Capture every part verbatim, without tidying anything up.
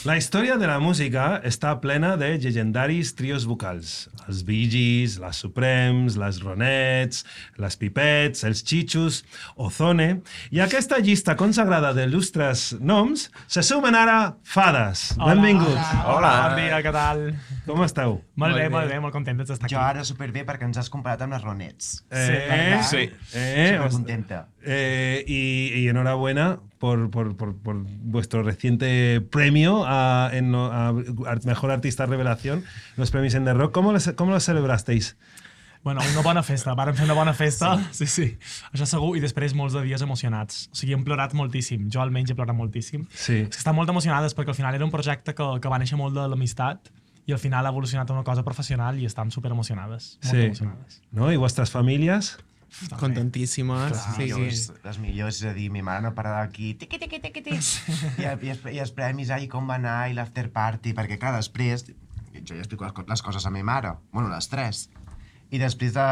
La història de la música està plena de llegendaris trios vocals. Els Bee Gees, les Supremes, les Ronettes, les Pipets, els Chichus, Ozone... I a aquesta llista consagrada d'il·lustres noms se sumen ara fades. Hola, Benvinguts. Hola, hola, bon dia, què tal? Com esteu? Molt bé, molt bé, molt contents d'estar aquí. Jo ara superbé perquè ens has comparat amb les Ronettes. Eh, sí. Eh, Supercontenta. Eh, y, y enhorabuena por, por, por, por vuestro reciente premio a, en, a, a Mejor Artista Revelación, los premios en The Rock. ¿Cómo lo, cómo lo celebrasteis? Bueno, una bona festa, vàrem fer una bona festa, sí, sí, sí. Això segur, i després molts de dies emocionats. O sigui, hem plorat moltíssim, jo almenys he plorat moltíssim. Sí. És que estan molt emocionades perquè al final era un projecte que, que va néixer molt de l'amistat i al final ha evolucionat a una cosa professional i estem super emocionades, molt Sí. emocionades. ¿No? ¿Y vuestras familias? Contentíssimes. Les Sí, millors, sí. les millors, és a dir, mi mare no para d'aquí, tiqui, tiqui, tiqui, tiqui. I, i, els, I els premis, ai, com va anar, i l'after party, perquè, clar, després, jo ja explico les, co- les coses a mi mare, bueno, les tres, i després de,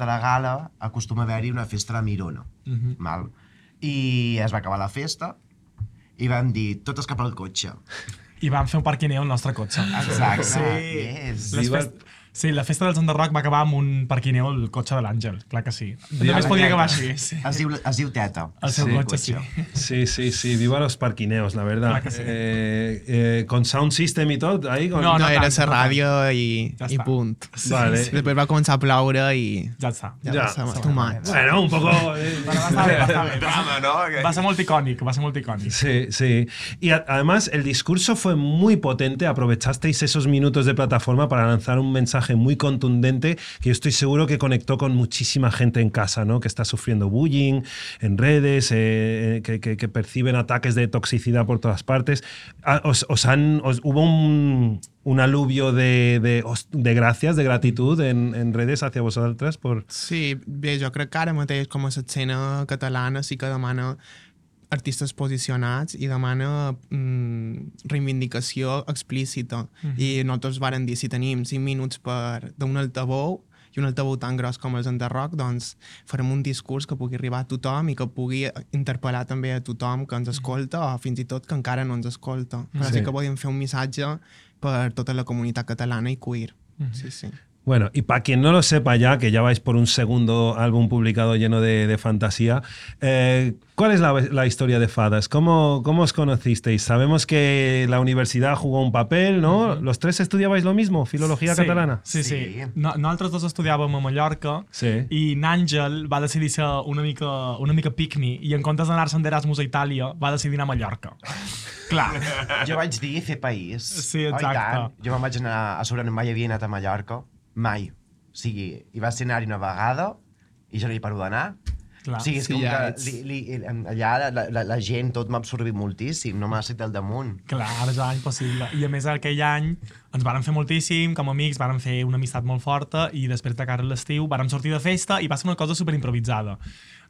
de la gala acostuma a haver-hi una festa a la Mirona, Mhm. val? I es va acabar la festa i van dir, totes cap al cotxe. I vam fer un parquineo al nostre cotxe. Exacte, Sí. yes. Les Viva- fest... Sí, la festa dels On The Rock va acabar amb un parquineo al cotxe de l'Àngel, clar que sí. Viva Només la podia teta. acabar així. Sí. Es diu, es diu teta. El seu Sí. cotxe, sí. Sí, sí, sí. Viva los parquineos, la verdad. Clar que sí. Eh, eh, con sound system y todo, ahí con... No, No, no era tant, la no ràdio i, Ja i està. punt. Vale. Després va començar a ploure i Ja està. ja, Ja. va ser too much. Bueno, un poco... eh, Bueno, va estar bé, va estar bé. Drama, ¿no? Va ser molt icònic, va ser molt icònic. Sí, sí. Y a- además el discurso fue muy potente. Aprovechasteis esos minutos de plataforma para lanzar un mensaje muy contundente que yo estoy seguro que conectó con muchísima gente en casa, ¿no? Que está sufriendo bullying en redes, eh, que, que- que perciben ataques de toxicidad por todas partes. Ah, Os, os han, os- hubo un, un aluvio de, de, os- de gracias, de gratitud en, en redes hacia vosotras por... Sí, bé, jo crec que ara mateix com a l'escena catalana sí que demana artistes posicionats i demana mm, reivindicació explícita. Mhm. I nosaltres varen dir, si tenim cinc minuts per d'un altaveu i un altaveu tan gros com els de rock, doncs farem un discurs que pugui arribar a tothom i que pugui interpel·lar també a tothom que ens escolta o fins i tot que encara no ens escolta. Però Sí. sí que podem fer un missatge per tota la comunitat catalana i queer. Sí, sí. Bueno, y para quien no lo sepa ya, que ya vais por un segundo álbum publicado lleno de, de fantasía, eh, ¿cuál es la, la historia de Fadas? ¿Cómo, ¿Cómo os conocisteis? Sabemos que la universidad jugó un papel, ¿no? ¿Los tres estudiabais lo mismo? ¿Filología sí, catalana? Sí, sí. Sí. No, nosaltres dos estudiàvem a Mallorca Sí. i n'Àngel va decidir ser una mica, una mica pick-me i en comptes d'anar-se'n d'Erasmus a Itàlia va decidir anar a Mallorca. Clar. Jo vaig dir fer país. Sí, Oh, i exacte. tant. Jo me'n vaig anar a sobre, no mai havia anat a Mallorca. Mai. O sigui, hi va ser anar-hi una vegada i jo no hi paro d'anar. Clar. O sigui, és Sí, com ja que ets- li, li, allà la, la, la gent, tot m'ha absorbit moltíssim, no m'ha sentit al damunt. Clar, és impossible. I a més aquell any ens vàrem fer moltíssim, com a amics, vàrem fer una amistat molt forta i després de cara a l'estiu vàrem sortir de festa i va ser una cosa super improvisada.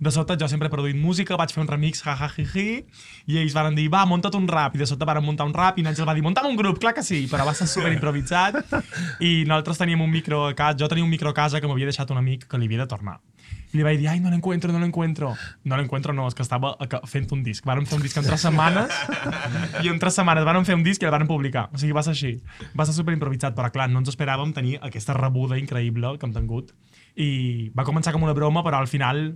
De sobte jo sempre he produït música, vaig fer un remix, ja, ja, ji, ji, i ells varen dir, va, munta't un rap, i de sobte varen muntar un rap i n'Àngel va dir, muntam un grup, clar que sí, però va ser super improvisat i nosaltres teníem un micro a casa, jo tenia un micro a casa que m'havia deixat un amic que li havia de tornar. I li vaig dir, ai, no l'encuentro, no l'encuentro. No l'encuentro, no, és que estava a- fent un disc. Vàrem fer un disc en tres setmanes i en tres setmanes vàrem fer un disc i el vàrem publicar. O sigui, va ser així. Va ser super improvisat, però clar, no ens esperàvem tenir aquesta rebuda increïble que hem tingut. I va començar com una broma, però al final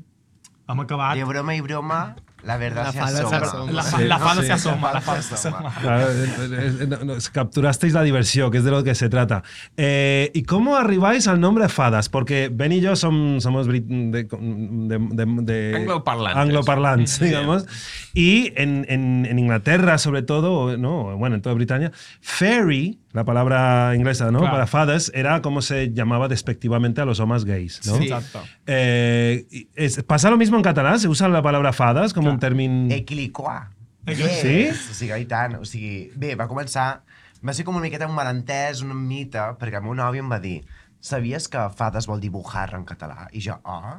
hem acabat... De broma i broma, la verdad La se fada se asoma. asoma. La, Sí, la fada sí. se asoma, la La fada fada se se asoma. asoma. Claro, eh, eh, no, no, capturasteis la diversión, que es de lo que se trata. Eh, ¿Y cómo arribáis al nombre Fadas? Porque Ben y yo som- somos brit- de, de, de- de- Angloparlantes. angloparlantes, digamos. Y en, en- en Inglaterra, sobre todo, o no, bueno, en toda Britania, fairy, la palabra inglesa, ¿no? Claro. Para fadas, era como se llamaba despectivamente a los hombres gays, ¿no? Sí. Exacte. Eh, y es- ¿Pasa lo mismo en catalán? ¿Se usa la palabra fadas como un término...? Equiliquà. Sí? O sigui, i tant. O sigui, bé, va començar... Va ser com una miqueta un malentès, un mite, perquè el meu nòvio em va dir, sabies que fades vol dir bujarra en català? I jo, oh,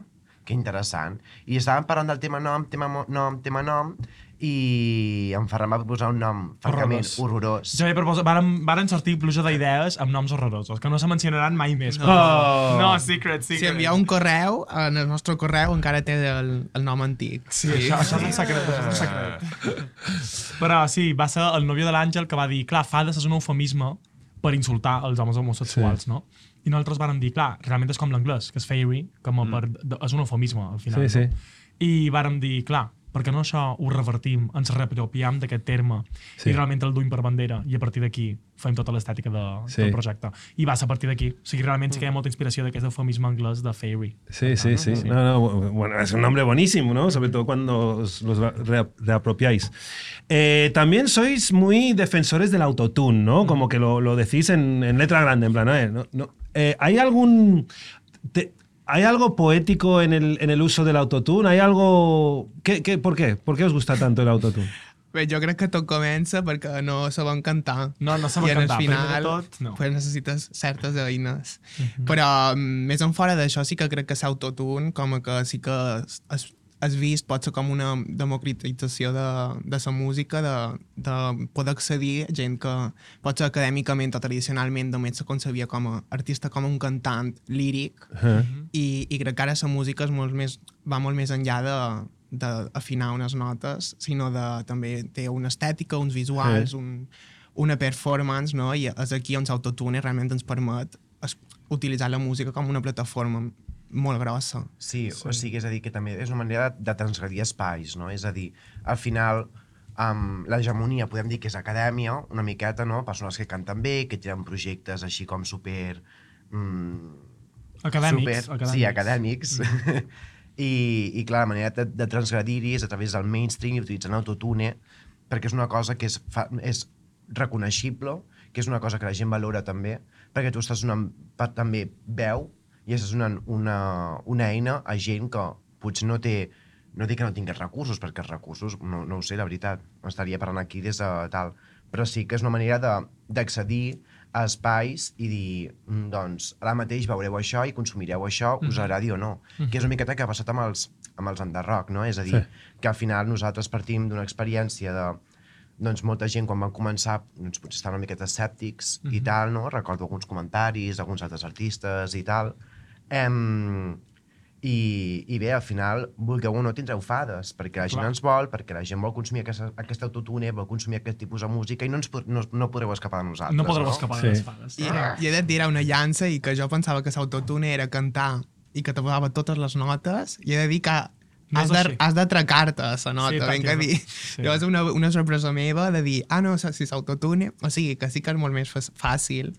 que interessant. I estàvem parlant del tema nom, tema nom, tema nom, i en Ferran va proposar un nom francament horrorós. Jo vaig proposar, varen, varen sortir pluja d'idees amb noms horrorosos, que no se mencionaran mai més. No, oh. no secret, secret. Si envieu un correu, en el nostre correu encara té el, el nom antic. Sí, sí. Això, això és un secret, això és un secret. Però sí, va ser el nòvio de l'Àngel que va dir, clar, fades és un eufemisme per insultar els homes homosexuals, sí. no? I nosaltres vàrem dir, clar, realment és com l'anglès, que és fairy, com a per, és un eufemisme, al final. Sí, sí. No? I vàrem dir, clar, perquè no això ho revertim, ens reapropiem d'aquest terme sí. i realment el duim per bandera i a partir d'aquí fem tota l'estètica de, sí. del projecte. I va ser a partir d'aquí. O sigui, realment sí que hi ha molta inspiració d'aquest eufemisme anglès de fairy. Sí, sí, sí. sí. No, no, bueno, es un nombre buenísimo, ¿no? Sobre todo cuando os los reapropiáis. Eh, también sois muy defensores del autotune, ¿no? Como que lo, lo decís en, en letra grande, en plan, eh, no, no. Eh, ¿hay algún... Te, ¿Hay algo poético en el, en el uso del autotune? ¿Hay algo... ¿Qué, qué, ¿Por qué? ¿Por qué os gusta tanto el autotune? Bé, jo crec que tot comença perquè no sabem cantar. No, no sabem cantar. I al final tot, no. pues necessites certes eines. Uh -huh. Però més en fora d'això sí que crec que l'autotune com que sí que es, has vist pot ser com una democratització de, de la música, de, de poder accedir a gent que pot ser acadèmicament o tradicionalment només se concebia com a artista, com un cantant líric, uh -huh. i, i crec que ara la música és molt més, va molt més enllà de d'afinar unes notes, sinó de també té una estètica, uns visuals, uh -huh. un, una performance, no? I és aquí on l'autotune realment ens permet utilitzar la música com una plataforma molt grossa. Sí, sí, o sigui, és a dir, que també és una manera de, de transgredir espais, no? És a dir, al final, um, l'hegemonia podem dir que és acadèmia, una miqueta, no? Persones que canten bé, que tenen projectes així com super... Um, acadèmics, super, acadèmics. Sí, acadèmics. Mm. I, I, clar, la manera de, de transgredir-hi és a través del mainstream i utilitzant autotune, perquè és una cosa que és, fa, és reconeixible, que és una cosa que la gent valora també, perquè tu estàs donant també veu i estàs donant una, una eina a gent que potser no té, no dic que no tingués recursos, perquè els recursos, no, no ho sé, la veritat, estaria parlant aquí des de tal, però sí que és una manera d'accedir a espais i dir, doncs, ara mateix veureu això i consumireu això, us agradi o no. Mm-hmm. Que és una miqueta que ha passat amb els, amb els underrock, no? És a dir, sí. que al final nosaltres partim d'una experiència de doncs molta gent quan van començar doncs, potser estaven una miqueta escèptics mm-hmm. i tal, no? Recordo alguns comentaris d'alguns altres artistes i tal. Um, i, I bé, al final, vulgueu o no, tindreu fades, perquè la gent Clar. ens vol, perquè la gent vol consumir aquesta, aquest autotune, vol consumir aquest tipus de música i no, ens, no, no podreu escapar de nosaltres. No podreu no? escapar sí. de les fades. I, I he de tirar una llança i que jo pensava que l'autotune era cantar i que te posava totes les notes, i he de dir que No has, de, has de tracar-te a la nota, sí, ben que dir. Sí. Llavors una, una sorpresa meva de dir, ah, no, si s'autotune, o sigui, que sí que és molt més fàcil,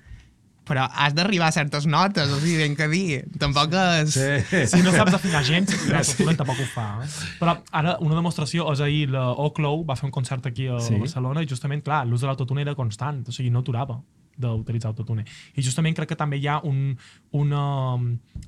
però has d'arribar a certes notes, o sigui, ben que dir. Tampoc és... Sí. Si no saps afinar gens, l'autotune tampoc ho fa. Eh? Però ara, una demostració, és ahir l'Oclow va fer un concert aquí a sí. Barcelona i justament, clar, l'ús de l'autotune era constant, o sigui, no aturava d'utilitzar autotune. I justament crec que també hi ha un, una,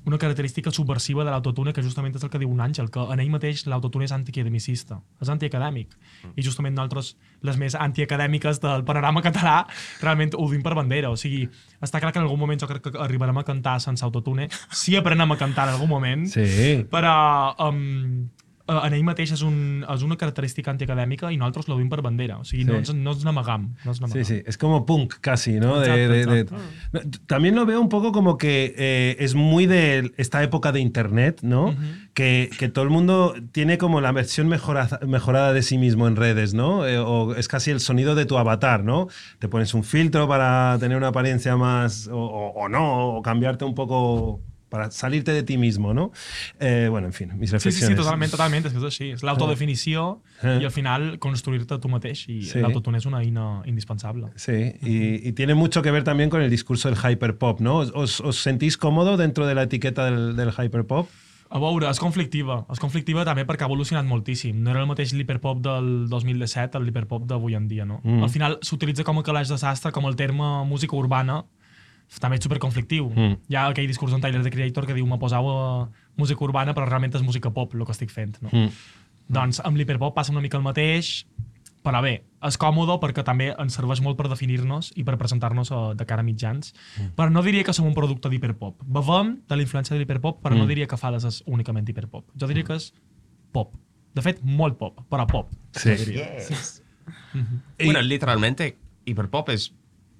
una característica subversiva de l'autotune que justament és el que diu un Àngel, que en ell mateix l'autotune és antiacademicista, és antiacadèmic. Mm. I justament nosaltres, les més antiacadèmiques del panorama català, realment ho dim per bandera. O sigui, està clar que en algun moment jo crec que arribarem a cantar sense autotune, si aprenem a cantar en algun moment, sí. però... Um, en ell mateix és, un, és una característica antiacadèmica i nosaltres lo dim per bandera. O sigui, sí. no, ens, no ens n'amagam. No ens sí, sí, es como punk casi, ¿no? De, de, de, de... También lo veo un poco como que eh, es muy de esta época de internet, ¿no? Uh-huh. que, que todo el mundo tiene como la versión mejorada, mejorada de sí mismo en redes, ¿no? Eh, o es casi el sonido de tu avatar, ¿no? Te pones un filtro para tener una apariencia más, o, o, o no, o cambiarte un poco... para salirte de ti mismo, ¿no? Eh, bueno, en fin, mis reflexiones. Sí, sí, sí, totalment, totalment, és que és així. És l'autodefinició eh. i al final construir-te tu mateix i sí. l'autotune és una eina indispensable. Sí, y, y tiene mucho que ver también con el discurso del hyperpop, ¿no? ¿Os, os sentís cómodo dentro de la etiqueta del, del hyperpop? A veure, és conflictiva. És conflictiva també perquè ha evolucionat moltíssim. No era el mateix l'hiperpop del dos mil disset el l'hiperpop d'avui en dia, no? Mm. Al final s'utilitza com a calaix de sastre, com el terme música urbana, també és superconflictiu. Mm. Hi ha aquell discurs d'en Tyler, the Creator, que diu me posau a música urbana però realment és música pop el que estic fent. No? Mm. Doncs amb l'hiperpop passa una mica el mateix, Però bé, és còmode perquè també ens serveix molt per definir-nos i per presentar-nos de cara a mitjans. Mm. Però no diria que som un producte d'hiperpop. Bevem de la influència de l'hiperpop, però mm. no diria que Fades és únicament hiperpop. Jo diria que és pop. De fet, molt pop, però pop. Sí. Yes. Mm-hmm. Bueno, literalmente, hiperpop és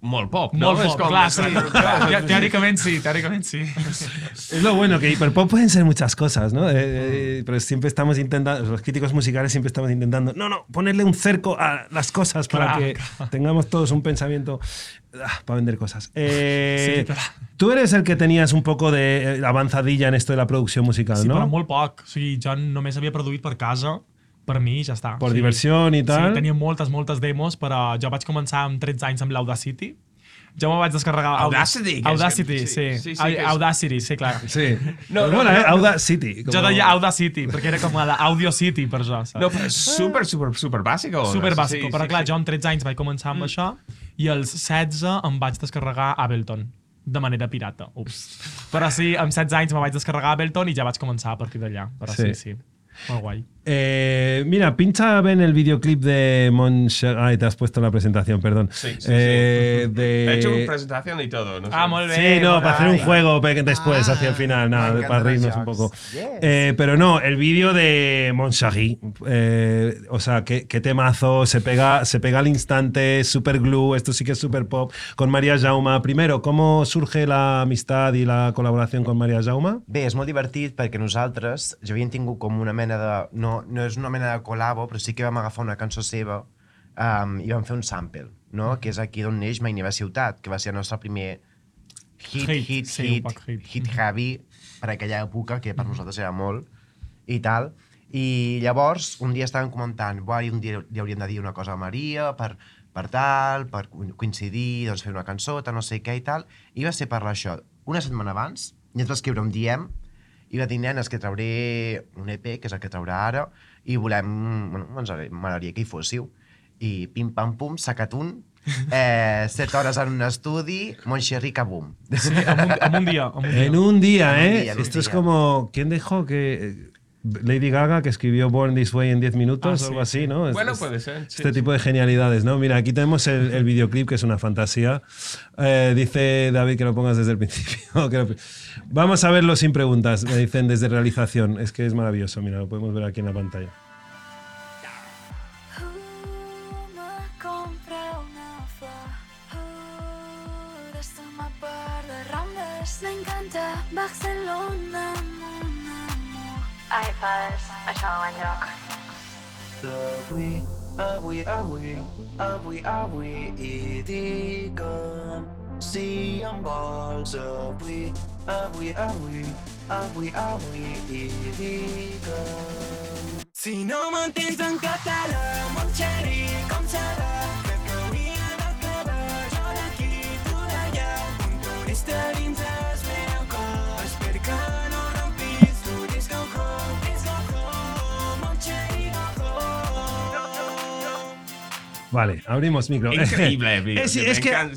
molt pop, ¿no? Molt pop, com, clar, sí. Te teóricament sí, teóricament sí. Es lo bueno, que hiperpop pueden ser muchas cosas, ¿no? Eh, eh, pero siempre estamos intentando, los críticos musicales siempre estamos intentando, no, no, ponerle un cerco a las cosas para claro, que claro. tengamos todos un pensamiento ah, para vender cosas. Eh, sí, tú eres el que tenías un poco de avanzadilla en esto de la producción musical, sí, ¿no? Sí, però molt poc. O sigui, jo només havia produït per casa, per mi ja està. Per sí. diversió i tal. Sí, tenia moltes, moltes demos, però jo vaig començar amb tretze anys amb l'Audacity. Jo me vaig descarregar... Audacity? Audacity, que, sí. sí, sí, sí Audacity, sí, clar. Sí. No, no, no, eh? no, Audacity. Jo deia Audacity, perquè era com la Audio City per jo, saps? No, però és super, super, super bàsico. Super bàsico, sí, però sí, clar, sí. jo amb tretze anys vaig començar amb mm. això i als setze em vaig descarregar Ableton de manera pirata. Ups. Però sí, amb setze anys me vaig descarregar Ableton i ja vaig començar a partir d'allà. Però sí, sí. sí. Molt guai. Eh, mira, pincha ven el videoclip de Monche... Ay, te has puesto la presentación, perdón. Sí, sí, eh, sí. De... He hecho una presentación y todo. No sé. Ah, molt bé. Sí, no, para hacer un Ay. juego después, Ah, hacia el final, nada, me para encantan reírnos los un poco. jokes. Yes. Eh, pero no, el vídeo de Monchagui, eh, o sea, qué, qué temazo, se pega, se pega al instante, super glue, esto sí que es super pop, con María Jauma. Primero, ¿cómo surge la amistad y la colaboración con María Jauma? Bé, és molt divertit perquè nosaltres ja havíem tingut com una mena de... No, no és una mena de col·labo, però sí que vam agafar una cançó seva um, i vam fer un sample, no? Que és aquí d'on neix Mai Neva Ciutat, que va ser el nostre primer hit, Hit, hit, sí, un hit, poc hit. hit heavy per aquella època, que per nosaltres era molt, i tal. I llavors, un dia estàvem comentant, buah, un dia li hauríem de dir una cosa a Maria per, per tal, per coincidir, doncs fer una cançó, tal, no sé què i tal, i va ser parlar això. Una setmana abans, i ens va escriure un D M, i va dir, nenes, que trauré un E P, que és el que traurà ara, i volem... Bueno, ens m'agradaria que hi fóssiu. I pim-pam-pum, sacat un, eh, set hores en un estudi, Montxerri, kabum. Sí, en un, en un dia. En un dia. En un día, En un ¿eh? día, en un Esto es día. como... ¿Quién dejó que... Lady Gaga, que escribió Born This Way en diez minutos Ah, o algo sí, así, ¿no? Es- Bueno, es- puede ser. Sí, este sí. tipo de genialidades, ¿no? Mira, aquí tenemos el, el videoclip, que es una fantasía. Eh, dice David que lo pongas desde el principio. que lo- Vamos a verlo sin preguntas, me dicen desde realización. Es que es maravilloso, mira, lo podemos ver aquí en la pantalla. Me compré una flor uh, des de ma part de Rambles. M'encanta Barcelona, mon amor. Ai, fas, això no va enlloc. Avui, avui, avui, avui, avui i digue'm si em vols avui, avui, avui, avui, avui i digue'm. Si no m'entens en català, Montxerri, com serà? Crec que hauria d'acabar jo d'aquí, tu d'allà, un turista dins el meu cor. Espero que no rompis, tu dis go home, dis go home, Montxerri, go home. Vale, abrimos micro. Increíble, vídeo. Es, me es que encanta.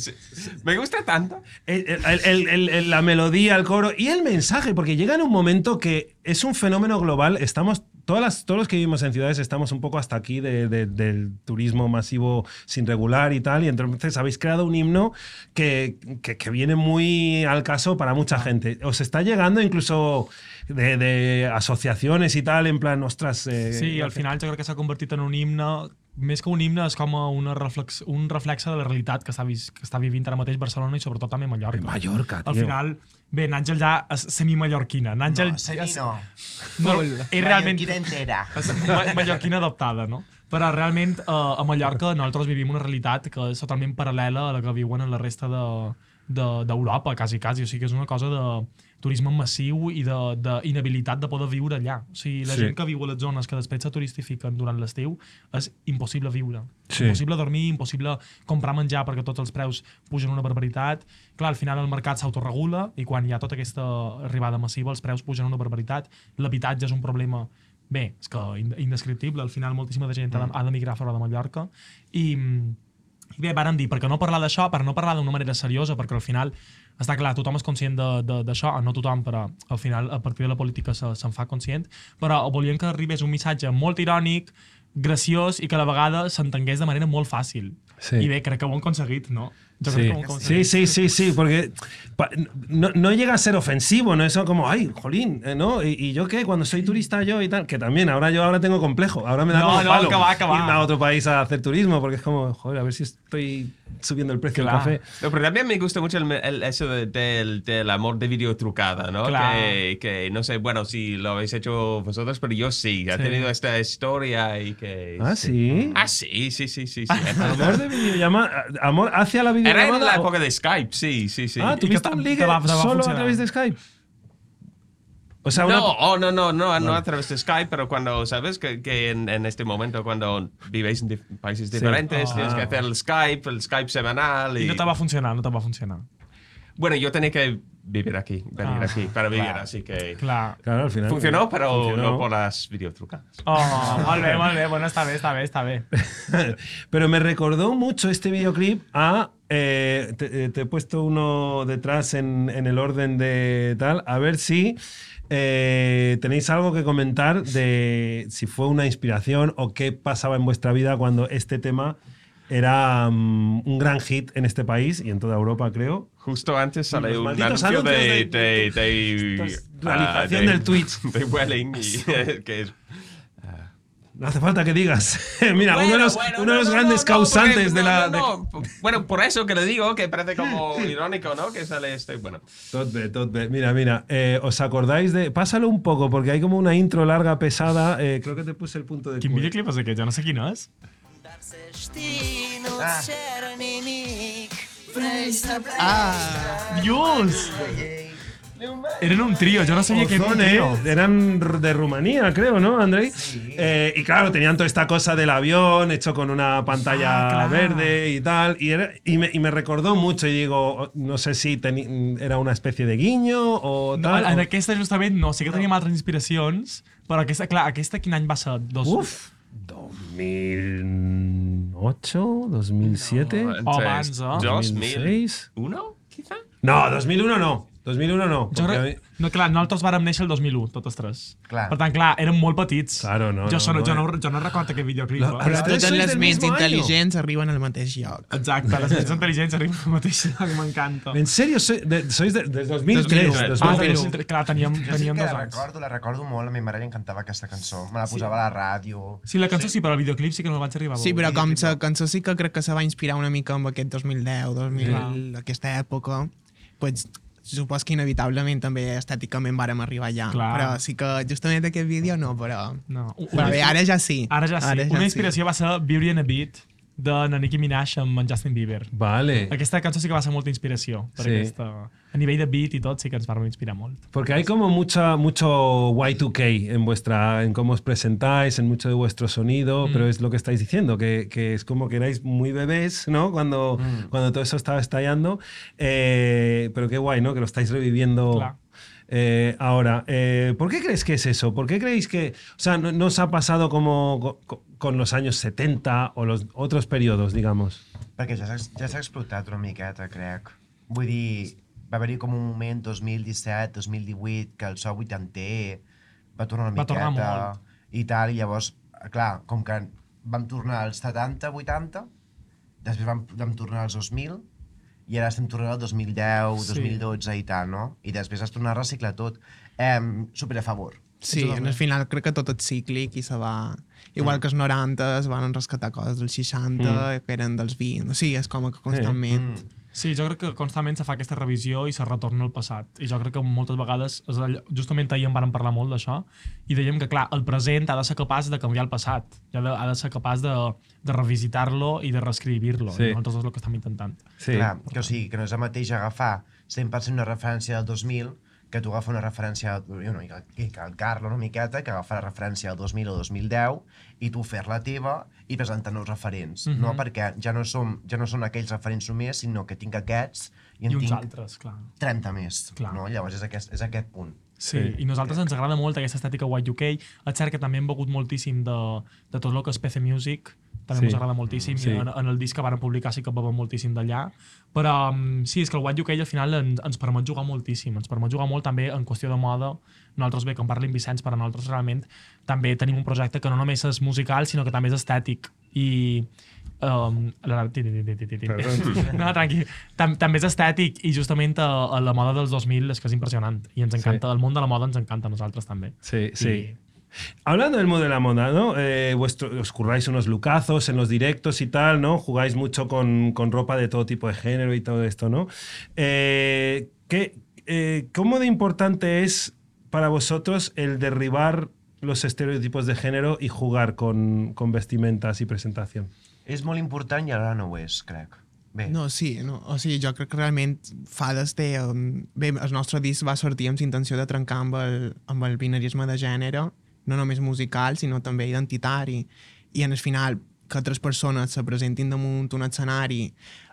Me gusta tanto. el- el- el- el- el- la melodía, el coro y el mensaje, porque llega en un momento que es un fenómeno global. Estamos, todas las, todos los que vivimos en ciudades estamos un poco hasta aquí de- de- del turismo masivo sin regular y tal, y entonces habéis creado un himno que, que, que viene muy al caso para mucha gente. Os está llegando incluso de, de asociaciones y tal, en plan, ostras... eh, Sí, al final jo crec que s'ha convertit en un himne, més que un himne, és com una reflex, un reflexe de la realitat que està, vis, que està vivint ara mateix Barcelona i sobretot també Mallorca. Mallorca, Al tio. final, bé, Nàngel ja és semi-mallorquina. Nàngel No, semi no. no, és realment Mallorquina entera. és ma- mallorquina adoptada, no? Però realment eh, a Mallorca nosaltres vivim una realitat que és totalment paral·lela a la que viuen en la resta de d'Europa, de, quasi, quasi. O sigui que és una cosa de turisme massiu i d'inhabilitat de, de poder viure allà. O sigui, la Sí. gent que viu a les zones que després se turistifiquen durant l'estiu és impossible viure. Sí. Impossible dormir, impossible comprar menjar perquè tots els preus pugen una barbaritat. Clar, al final el mercat s'autoregula i quan hi ha tota aquesta arribada massiva els preus pugen una barbaritat. L'habitatge és un problema bé, és que ind- indescriptible. Al final moltíssima de gent ha de- ha d'emigrar fora de Mallorca i i bé, vàrem dir, per què no parlar d'això, per no parlar d'una manera seriosa, perquè al final, està clar, tothom és conscient de- de- d'això, no tothom, però al final, a partir de la política se- se'n fa conscient, però volíem que arribés un missatge molt irònic, graciós i que a la vegada s'entengués de manera molt fàcil. Sí. I bé, crec que ho han aconseguit, no? Yo Sí. creo que como conseguir. sí, sí, sí, sí, porque pa- no, no llega a ser ofensivo, no es como, ay, jolín, eh, ¿no? ¿Y, y yo qué? Cuando soy turista yo y tal, que también, ahora yo ahora tengo complejo, ahora me da No, como no, palo que va, que va. irme a otro país a hacer turismo, porque es como, joder, a ver si estoy subiendo el precio Claro. del café. No, pero también me gusta mucho el, el- eso de- del, del amor de video trucada, ¿no? Claro. Que, que no sé, bueno, si lo habéis hecho vosotros, pero yo sí. Ha Sí. tenido esta historia y que... Ah, sí. Ah, sí, sí, sí, sí. sí. Amor de videollamada, amor hacia la Era videollamada. en la o- época de Skype, sí, sí, sí. Ah, Y que ¿tuviste te- un te ligue va- te va a solo a funcionar. través de Skype? O sea, una... No, oh, no, no, no, no a través de Skype, pero cuando, ¿sabes? Que, que en, en este momento, cuando vivéis en dif- países diferentes, Ah. tienes que hacer el Skype, el Skype semanal. Y, I no te va funcionar, no te va funcionar. Bueno, yo tenía que vivir aquí, venir Ah, aquí, para vivir, claro. así que... Clar. Claro, al final. Funcionó, pero funcionó. no por las videotrucadas. Oh, molt bé, molt bé. Bueno, està bé, està bé, està bé. Pero me recordó mucho este videoclip a... eh, te, te he puesto uno detrás en, en el orden de tal, a ver si eh, tenéis algo que comentar de si fue una inspiración o qué pasaba en vuestra vida cuando este tema era um, un gran hit en este país y en toda Europa, creo. Justo antes sale Los un malditos anuncio de, anuncios de, de- de, Estas- ah, realización de- del Twitch. de Welling, y, que es... No hace falta que digas. Mira, uno de Bueno, los, bueno, uno de no, los no, grandes no, causantes porque- de la... no, no, no. Bueno, por eso que le digo que parece como irónico, ¿no? Que sale este... Bueno, Tot bé, tot bé. Mira, mira, eh, ¿os acordáis de...? Pásalo un poco, porque hay como una intro larga, pesada. Eh, creo que te puse el punto de... Quin cu- videoclip és aquest? Jo no sé quin és. Ah. Ah, Dios! Eren un trío, yo no sabía que era un Ozone, trío. eran r- de Rumanía, creo, ¿no, Andrei? Eh, y claro, tenían toda esta cosa del avión hecho con una pantalla Ah, claro. verde y tal. Y, era- y, me, y me recordó mucho. Y digo, no sé si teni- era una especie de guiño o No, tal. en o- aquesta justament no, sí que teníem altres inspiracions, però aquesta, clar, aquesta quin any va ser? Dos... Uf, dos mil ocho, dos mil siete. Oh, abans, eh? dos mil seis. uno, quizá? No, dos mil uno no. dos mil uno no. Jo porque a crec... mí- No, clar, nosaltres vàrem néixer el dos mil u, totes tres. Clar. Per tant, clar, érem molt petits. Claro, no, Jo, no, so, no, no, jo, eh. no, jo no recordo aquest videoclip. La- eh? Però però Ustedes totes sois les del ments mismo año. intel·ligents arriben al mateix lloc. Exacte, les més intel·ligents arriben al mateix lloc, m'encanta. ¿En serio? Soy de- ¿Sois de, de dos mil tres? dos mil u. dos Ah, mil del tres. dos mil tres, clar, teníem, Jo sí teníem que dos la anys. recordo, la recordo molt, a mi mare li encantava aquesta cançó. Me la posava a la ràdio. Sí, la cançó sí, però el videoclip sí que no el vaig arribar a Sí, veure. però com la cançó sí que crec que se va inspirar una mica amb aquest dos mil deu, dos mil, Clar. aquesta època, pues, supos que inevitablement també estèticament vàrem arribar allà. Clar. Però sí que justament aquest vídeo no, però... No. Però bé, ara ja sí. Ara ja sí. Una inspiració va ser Beauty and a Beat de na Nicki Minaj amb en Justin Bieber. Vale. Aquesta cançó sí que va ser molta inspiració. Per Sí. aquesta... A nivell de beat i tot sí que ens vam inspirar molt. Porque hay como mucha, mucho Y dos K en vuestra, en cómo os presentáis, en mucho de vuestro sonido, Mm. pero es lo que estáis diciendo, que, que es como que erais muy bebés, ¿no? Cuando, Mm. cuando todo eso estaba estallando. Eh, pero qué guay, ¿no? Que lo estáis reviviendo. Claro. Eh, ahora, eh, ¿por qué crees que es eso? ¿Por qué creéis que, o sea, no, no os ha pasado como co- co- con los años setenta o los otros periodos, digamos? Perquè ja s'ha ja s'ha explotat una miqueta, crec. Vull dir, va haver-hi com un moment dos mil disset, dos mil divuit, que el so vuitanter va tornar una Va tornar miqueta molt. i tal, i llavors, clar, com que vam tornar als setanta, vuitanta, després vam, vam tornar als dos mil, i ara estem tornant al dos mil deu, Sí. dos mil dotze i tal, no? I després es torna a reciclar tot. Eh, super a favor. Sí, en el final crec que tot és cíclic i se va... Igual que els noranta es van rescatar coses dels seixanta, que eren dels vint. O sigui, és com que constantment... Sí, jo crec que constantment se fa aquesta revisió i se retorna al passat. I jo crec que moltes vegades, és allò- justament ahir en vàrem parlar molt d'això, i dèiem que, clar, el present ha de ser capaç de canviar el passat. Ha de, ha de ser capaç de, de revisitar-lo i de reescribir-lo. Sí. I nosaltres és el que estem intentant. Sí. Clar, que o sigui, que no és el mateix agafar cent per cent una referència del dos mil que tu agafar una referència, jo no, i que, i que el Carlo una miqueta, que agafar la referència del dos mil o dos mil deu i tu fer-la teva i presentar nous referents, Mhm. no? Perquè ja no, som, ja no són aquells referents només, sinó que tinc aquests i en I uns tinc altres, clar. trenta més, Clar. no? Llavors és aquest, és aquest punt. Sí, Sí. i a nosaltres ens agrada molt aquesta estètica Y dos K. És cert que també hem begut moltíssim de, de tot el que és P C Music, també Sí. mos agrada moltíssim, Sí. i en, en el disc que varen publicar sí que bevem moltíssim d'allà, però um, sí, és que el What U K al final ens, ens permet jugar moltíssim, ens permet jugar molt també en qüestió de moda. Nosaltres, bé, que en parli en Vicenç, però nosaltres realment també tenim un projecte que no només és musical, sinó que també és estètic, i Um, la, ti, ti, ti, ti, ti. No, tranqui. Tam, també és estètic i justament a, a la moda dels dos mil és que és impressionant i ens encanta, sí. El món de la moda ens encanta a nosaltres també. Sí, sí. I... Hablando del mundo de la moda, ¿no? Eh, vuestro, os curráis unos lookazos en los directos y tal, ¿no? Jugáis mucho con, con ropa de todo tipo de género y todo esto, ¿no? Eh, ¿qué, eh, ¿Cómo de importante es para vosotros el derribar los estereotipos de género y jugar con, con vestimentas y presentación? És molt important i ara no ho és, crec. Bé. No, sí, no. O sigui, jo crec que realment Fades té... Um, bé, el nostre disc va sortir amb la intenció de trencar amb el, amb el binarisme de gènere, no només musical, sinó també identitari. I en el final, que altres persones se presentin damunt un escenari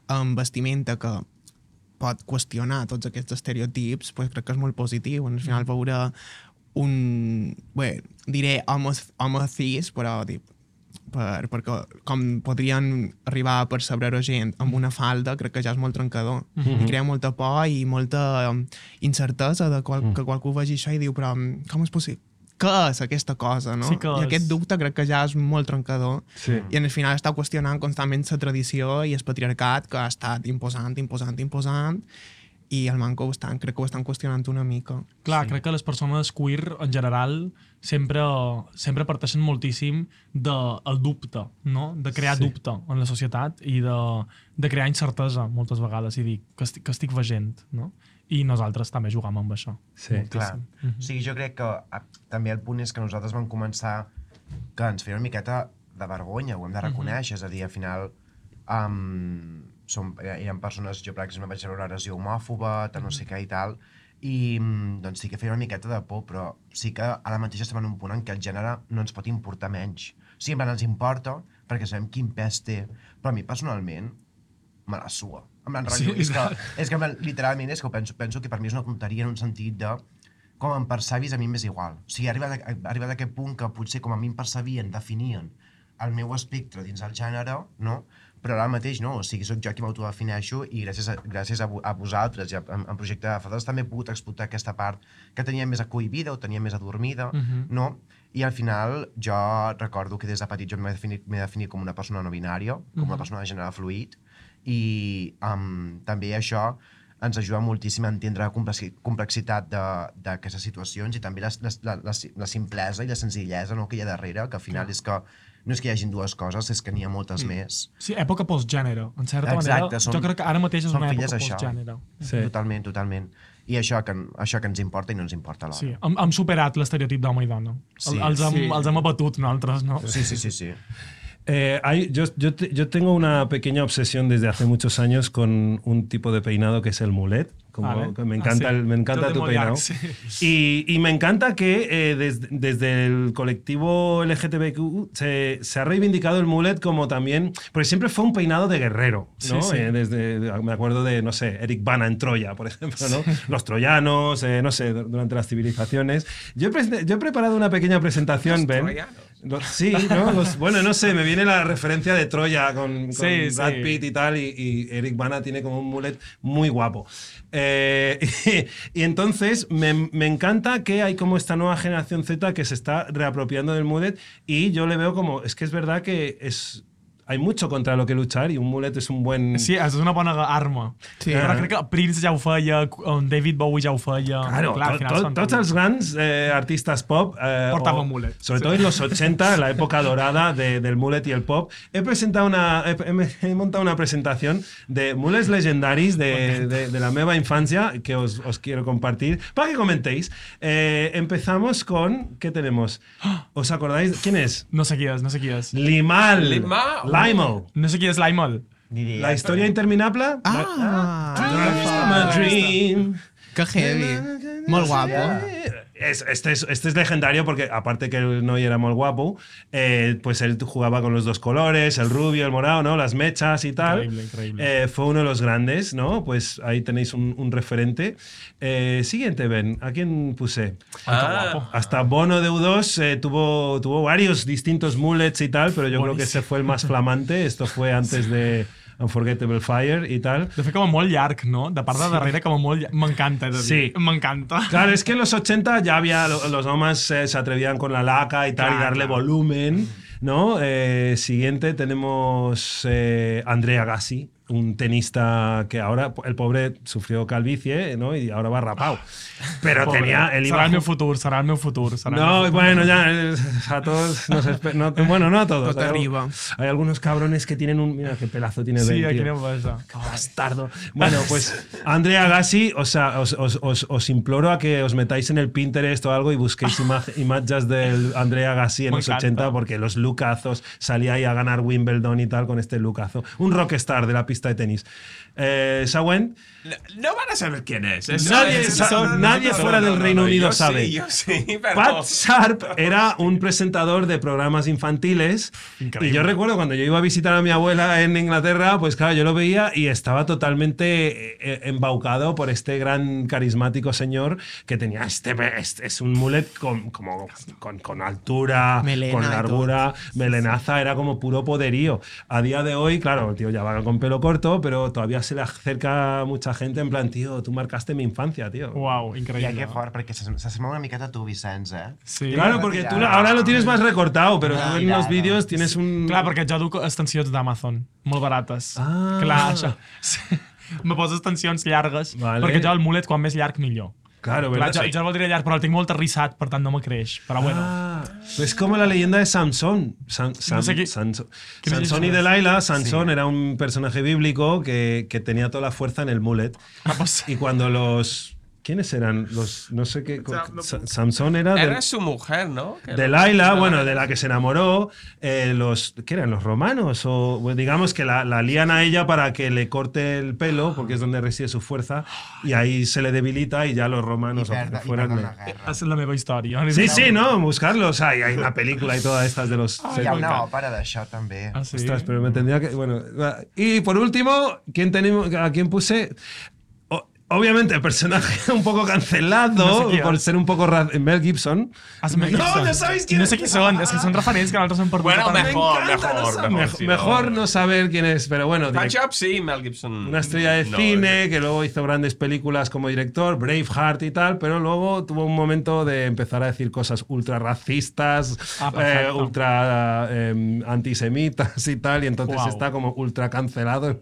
amb vestimenta que pot qüestionar tots aquests estereotips, pues crec que és molt positiu. En el final veure un... Bé, diré homes, homes cis, però dic, per, perquè com podrien arribar a percebre gent amb una falda, crec que ja és molt trencador. Mm-hmm. I crea molta por i molta um, incertesa de qual, mm. que qualcú vegi això i diu, però com és possible? Què és aquesta cosa, no? Sí que I aquest dubte crec que ja és molt trencador. Sí. I en el final està qüestionant constantment la tradició i el patriarcat que ha estat imposant, imposant, imposant, i el manco ho estan, crec que ho estan qüestionant una mica. Clar, sí. Crec que les persones queer, en general, sempre, sempre parteixen moltíssim del de, dubte, no? De crear Sí. dubte en la societat i de, de crear incertesa moltes vegades i dir que estic, que estic veient, no? I nosaltres també jugam amb això. Sí. Clar. Mm-hmm. O sigui, jo crec que a, també el punt és que nosaltres vam començar que ens feia una miqueta de vergonya, ho hem de reconèixer, mm-hmm. és a dir, al final um, som, eren persones, jo per exemple vaig veure una agressió homòfoba, tal, no sé què i tal, i doncs sí que feia una miqueta de por, però sí que ara mateix estem en un punt en què el gènere no ens pot importar menys. Sí, en plan, ens importa perquè sabem quin pes té, però a mi personalment me la sua. En plan, Sí, rotllo, és que, és que en plan, literalment és que penso, penso que per mi és una tonteria en un sentit de com em percebis a mi m'és igual. O sigui, arriba a, arriba a aquest punt que potser com a mi em percebien, definien el meu espectre dins el gènere, no? Però ara mateix no, o sigui, soc jo qui m'autodefineixo i gràcies a, gràcies a, a vosaltres i a, en, en projecte de Fades també he pogut explotar aquesta part que tenia més acohibida o tenia més adormida, Mhm. no? I al final jo recordo que des de petit jo m'he definit, m'he definit com una persona no binària, com una Mhm. persona de gènere fluid, i um, també això ens ajuda moltíssim a entendre la complexi- complexitat d'aquestes situacions i també la, la, la, la simplesa i la senzillesa, no, que hi ha darrere, que al final és que no és que hi hagin dues coses, és que n'hi ha moltes mm. més. Sí, època postgènere, en certa Exacte, manera. som- jo crec que ara mateix és som una filles època d'això. postgènere. Sí. Totalment, totalment. I això que, això que ens importa i no ens importa alhora. Sí, hem, hem superat l'estereotip d'home i dona. Sí, els, hem, sí. els hem abatut nosaltres, no? Sí, sí, sí, sí. Eh, hay, yo, yo, te- yo tengo una pequeña obsesión desde hace muchos años con un tipo de peinado que es el mulet. Como, Vale. que me Ah, encanta, sí. el, me encanta Tot de tu peinado. Modiac, sí. Y, y me encanta que eh, des- desde el colectivo L G T B Q se, se ha reivindicado el mullet como también, porque siempre fue un peinado de guerrero, ¿no? Sí, sí. Eh, desde, me acuerdo de, no sé, Eric Bana en Troya, por ejemplo, ¿no? Los troyanos, eh, no sé, durante las civilizaciones. Yo he, pre- yo he preparado una pequeña presentación, Los Ben. troyanos. Los- sí, ¿no? Los- bueno, no sé, me viene la referencia de Troya con, con Sí, Brad sí. Pitt y tal, y, y Eric Bana tiene como un mullet muy guapo. Eh, y, y entonces me, me encanta que hay como esta nueva generación Z que se está reapropiando del mullet y yo le veo como, es que es verdad que es... Hay mucho contra lo que luchar y un mullet es un buen... Sí, és una bona arma. Sí. Però crec que Prince ja ho feia, um, David Bowie ja ho feia. Claro, Clar, al to- final to- són- todos los grandes eh, artistas pop, eh, Portaban o- mullet. sobre Sí. todo en los ochenta, la época dorada de- del mullet y el pop, he presentado una, he, he- he montado una presentación de mullets legendaris de, de, de la meva infancia que os, os quiero compartir para que comentéis. Eh, empezamos con, ¿qué tenemos? ¿Os acordáis? ¿Quién es? No sé qui és, no sé qui és. Limal. Limal. Limal. No sé qui és l'Aimal. Ni idea. La historia interminable. Ah! I'm a dream. Que heavy. Molt guapo. es- este, es, este es legendario porque, aparte que el Noy era muy guapo, eh, pues él jugaba con los dos colores, el rubio, el morado, ¿no? Las mechas y tal. Increíble, increíble. Eh, fue uno de los grandes, ¿no? Pues ahí tenéis un, un referente. Eh, siguiente, Ben, ¿a quién puse? Ah, Hasta Bono de U dos eh, tuvo, tuvo varios distintos mullets y tal, pero yo creo que ese fue el más flamante. Esto fue antes de Unforgettable Fire y tal. De fet, com a molt llarg, no? De part de darrere, com a molt llarg. M'encanta, he de dir. Sí. M'encanta. Claro, es que en los ochenta ya había, lo- los hombres eh, se atrevían con la laca y tal, Claro, y darle claro. volumen, ¿no? Eh, siguiente tenemos eh, Andrea Gassi, un tenista que ahora, el pobre sufrió calvicie, ¿no? Y ahora va rapado. Pero Pobre. tenía, él iba Serà el meu ju- futur, serà el meu futur. Serà el meu No, futur. bueno, ya eh, a todos nos espe- no, bueno, no a todos. Tot Hay, arriba. hay algunos cabrones que tienen un, mira qué pelazo tiene Sí, Ben, aquí tío. anem a això. Bastardo. Bueno, pues Andrea Gassi, o sea, os, os, os, os imploro a que os metáis en el Pinterest o algo y busquéis ima- imágenes del Andrea Gassi en Me los encanta. ochenta, porque los lookazos, salía ahí a ganar Wimbledon y tal con este lookazo. Un rockstar de la pista de tenis. Eh, Sawen, no, no van a saber quién es. Eso Nadie es- sa- no, no, nadie no, fuera no, del no, Reino no, Unido yo sabe. Sí, yo sí, pero... Pat Sharp era un presentador de programas infantiles. Increíble. Y yo recuerdo cuando yo iba a visitar a mi abuela en Inglaterra, pues claro, yo lo veía y estaba totalmente eh, embaucado por este gran carismático señor que tenía este, este es un mullet con, como, con, con altura, Melena con y largura, melenaza, era como puro poderío. A día de hoy, claro, el tío ya va con pelo corto, pero todavía se le acerca mucha gente en plan, tío, tú marcaste mi infancia, tío. Uau, Ja, increïble. que fort, perquè se- s'assembla una miqueta a tu, Vicenç, eh? Sí. Claro, porque tú ahora lo tienes más recortado, pero Ah, tú en mira, los no. vídeos tienes un... Clar, perquè jo duc extensions d'Amazon, molt barates. Ah. Clar, això. Sí. Me poso extensions llargues, Vale. perquè jo el mulet, quan més llarg, millor. Claro, Clar, ¿verdad? jo, jo el voldria llarg, però el tinc molt arrissat, per tant no me creix. Però bueno, Ah, es como la leyenda de Samson. Sam- Sam- No sé qué- Sanso- ¿qué me Sansón y dices? Delilah. Sansón era un personaje bíblico que, que tenía toda la fuerza en el mullet. ah, pues, Y cuando los... ¿Quiénes eran? Los... No sé qué... sea, no- Sa- Samson era... Era de- su mujer, ¿no? Que- Delilah, bueno, de la que se enamoró, eh, los, ¿qué eran? ¿Los romanos? O bueno, digamos que la, la lían a ella para que le corte el pelo, porque es donde reside su fuerza, y ahí se le debilita y ya los romanos I o perda, i fueran... perda una guerra. és la meva història. Sí, sí, no, buscarlos. Hay, hay una película y todas estas de los... Hi ha una òpera d'això, també. Ah, sí? Ostras, pero me tendría que... Bueno, va. Y por último, ¿quién tenemos, ¿a quién puse? O- obviamente, el personaje un poco cancelado No sé quién. por ser un poco... ra- Mel Gibson. Ah, sí, Mel no, Gibson. no sabéis quién No es. sé qui són, és que són referents que nosaltres hem perdut. Bueno, totalment. mejor, Me encanta, mejor, no sab- mejor, mejor, sí, mejor no. no saber quién es, pero bueno, direct- Patch Up, sí, Mel Gibson. una estrella de No, cine que luego hizo grandes películas como director, Braveheart y tal, pero luego tuvo un momento de empezar a decir cosas ultra racistas, Ah, eh, perfecto. ultra eh, antisemitas y tal, y entonces Guau. está como ultra cancelado.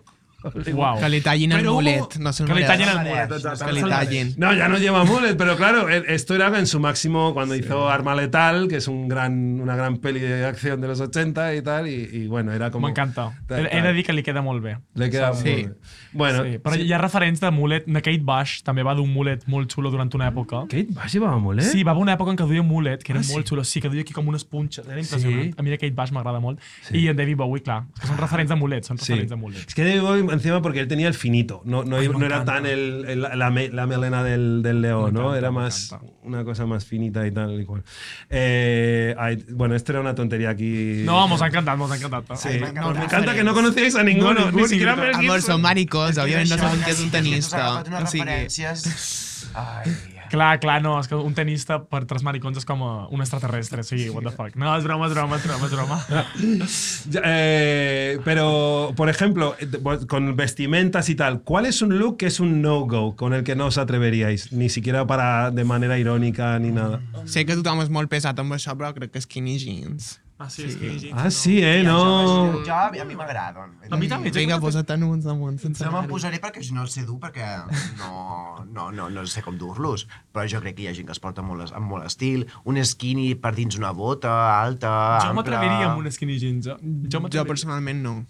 Uau. Que li tallin el Però hubo- mulet. No sé Que li tallin el mereix, mulet. no exacte. Que li tallin. No, ya no lleva mullet, pero claro, e- esto era en su máximo cuando hizo Arma Letal, que es un gran, una gran peli de acción de los ochenta y tal, y, y bueno, era como... M'encanta. Tal, He de dir que li queda molt bé. Le queda Sí. muy bien. Bueno, Sí, però sí. hi ha referents de mulet. Na Kate Bush també va d'un mulet molt xulo durant una època. Kate Bush llevaba mullet? Sí, va haver una època en què duia mulet, que era Ah, molt sí? xulo. Sí, que duia aquí com unes punxes. Era impressionant. Sí. A mi de Kate Bush m'agrada molt. I en David Bowie, clar. Que són referents de mulet, són Sí. referents de mulet. Es que David Bowie encima porque él tenía el finito, no, no, Ay, no me era encanta. tan el, el- la, me- la melena del, del león, Me ¿no? encanta, Era me más encanta. una cosa más finita y tal y cual. Eh, ay, bueno, esto era una tontería aquí. No, mos ha encantat, mos ha encantat. Sí. Ai, me m'encanta. encanta que no conocíais a ninguno, No, ni ningú, siquiera ningú. Mel Amor, Gibson. són maricons, òbviament no saben que és un Sí, que tenista. s'ha agafat unes O sigui, referències. Ai, Clar, clar, no, és que un tenista per tres maricons és com a un extraterrestre, o sigui, what the fuck. No, és broma, és broma, és broma, és broma. Ya, eh, pero, por ejemplo, eh, con vestimentas y tal, ¿cuál es un look que es un no-go con el que no os atreveríais? Ni siquiera para de manera irónica ni nada. sé que tothom és molt pesat amb això, però crec que skinny jeans. Ah, sí, és que... Ah, sí, eh, no. Jo, a mi m'agraden. A mi també. Vinga, posa't-te'n uns damunt sense No me'n anar-hi. posaré perquè si no els sé dur, perquè no, no, no, no sé com dur-los. Però jo crec que hi ha gent que es porta molt, es- amb molt estil. Un skinny per dins una bota alta, Jo ampla. m'atreviria amb un skinny jeans. eh? Jo Jo m'atreviria. personalment no.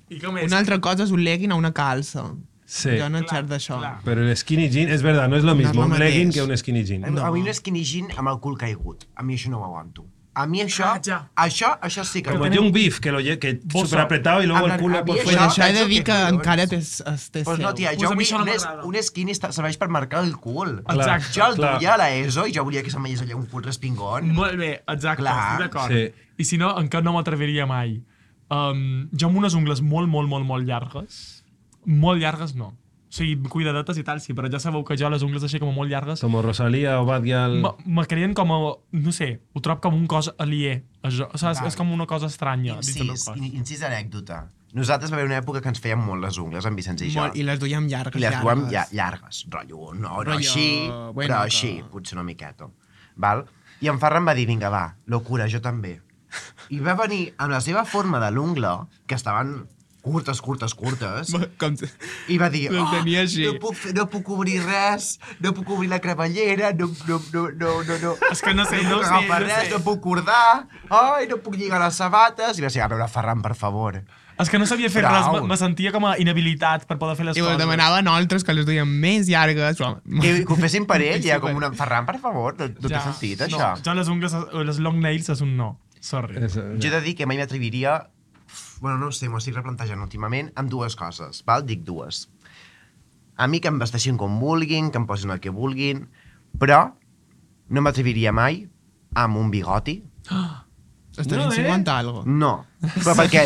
I com és? Una altra cosa és un legging a una calça. Sí. Jo no xerc d'això. clar. Pero el skinny jean, es verdad, no es lo No mismo es lo un legging mateix. que un skinny jean. A mi un skinny jean amb el cul caigut. A mi això no ho aguanto. A mi això, Ah, ja. això, això sí que... Como tenim- Young Beef, que lo lle- que Bossa. súper apretado y luego Amb el la- culo a por mi Pues fuera. això- això he de dir que collons. encara té, es té Pues no, tia, Pues jo a mi vull, això no un, es, m'agrada. un skinny esta- serveix per marcar el cul. Exacte. Jo el clar. duia a l'ESO i jo volia que se'm veiés allà un cul respingón. Molt bé, exacte, Clar. estic d'acord. Sí. I si no, encara no m'atreviria mai. Um, jo amb unes ungles molt, molt, molt, molt llargues, molt llargues no. O sigui, cuidadetes i tal, sí, però ja sabeu que jo les ungles així com molt llargues Como Rosalía o Bad Gyal. me- me creen com a, no sé, ho trobo com un cos aliè. Això, saps? Val. És com una cosa estranya dins del meu Incís, cos. in- incís anècdota. Nosaltres va haver una època que ens fèiem molt les ungles, en Vicenç i jo. Molt, I les duiem llargues, I les duem llargues. ja, llargues, rotllo, no, no Rotllo, així, bueno, però que- així, potser una miqueta. Val? I en Ferran va dir, vinga, va, locura, jo també. I va venir amb la seva forma de l'ungla, que estaven curtes, curtes, curtes, Com si- i va dir, Les tenia així. no, puc, fer- no puc obrir res, no puc obrir la cremallera, no, no, no, no, no, no. És que no sé, no puc ho sé, agafar no res, sé. no puc cordar, ai, no puc lligar les sabates. I va ser, a veure, Ferran, per favor. És que no sabia fer Prou. res, me, me sentia com a inhabilitat per poder fer les I coses. us demanava a nosaltres que les duiem més llargues. Però... Que, que ho fessin per ell, Sí, ja, com per- una... Ferran, per favor, no, no té sentit, això. No, jo les ungles, les long nails és un no. Sorry. Eso, Jo he de dir que mai m'atreviria, bueno, no ho sé, m'ho estic replantejant últimament, amb dues coses, val? Dic dues. A mi que em vesteixin com vulguin, que em posin el que vulguin, però no m'atreviria mai amb un bigoti. Estàs No, eh? insinuant algo. No, però perquè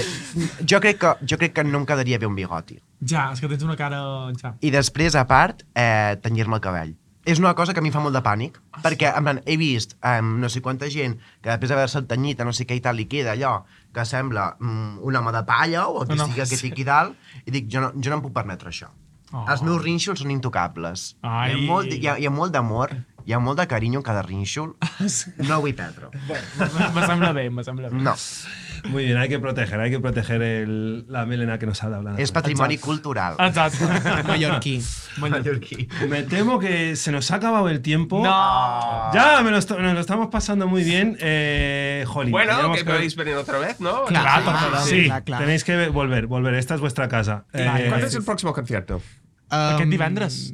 jo crec, que, jo crec que no em quedaria bé un bigoti. Ja, és que tens una cara... Ja. I després, a part, eh, tenyir-me el cabell. És una cosa que a mi em fa molt de pànic, perquè en plan, he vist eh, no sé quanta gent que després d'haver-se tenyit a no sé què i tal, li queda allò que sembla mm, un home de palla o el que No, no, sigui que sí. tiqui dalt, i dic, jo no, jo no em puc permetre això. Oh. Els meus rínxols són intocables. Ai. Hi ha, molt, hi, ha, hi ha molt d'amor, hi ha molt de carinyo en cada rínxol. No ho vull perdre. Me, me sembla bé, me sembla bé. No. Muy bien, hay que proteger, hay que proteger el- la melena que nos ha dado. És patrimoni cultural. Exacte. Mallorquí. Mallorquí. Me temo que se nos ha acabado el tiempo. No! Ya, me lo, est- nos lo estamos pasando muy bien. Eh, jolín, Bueno, teníamos que podéis venir otra vez, ¿no? Claro, Claro, Sí, clar, clar. tenéis que volver, volver. Esta es vuestra casa. Eh, ¿Cuándo es el próximo concierto? Aquest Um, divendres.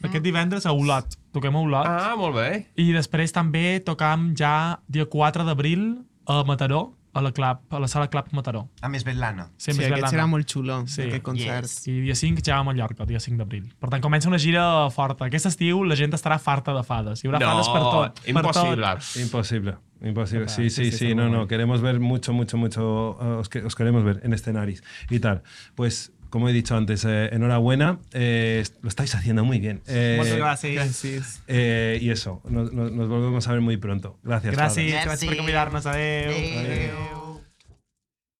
Aquest divendres a Olot. Toquem a Olot. Ah, molt bé. I després també tocam ja dia quatre d'abril a Mataró, a la, Club, a la sala Club Mataró. A més Betlana. Sí, Sempre aquest serà molt xulo, Sí. aquest concert. Yes. I dia cinc ja a Mallorca, dia cinc d'abril. Per tant, comença una gira forta. Aquest estiu la gent estarà farta de fades. Hi haurà fades per tot. Per imposible. tot. Imposible, imposible. Total, Sí, sí, sí, sí, sí, está no, muy no, bien. queremos ver mucho, mucho, mucho, eh, os, que- os queremos ver en escenarios y tal. Pues, como he dicho antes, eh, enhorabuena, eh, lo estáis haciendo muy bien. Eh, Moltes gràcies. Gràcies. eh, y eso, nos, nos- nos volvemos a ver muy pronto. Gracias. Fabra. Gràcies, gràcies per Merci. convidar-nos. Adéu. Adéu. Adéu.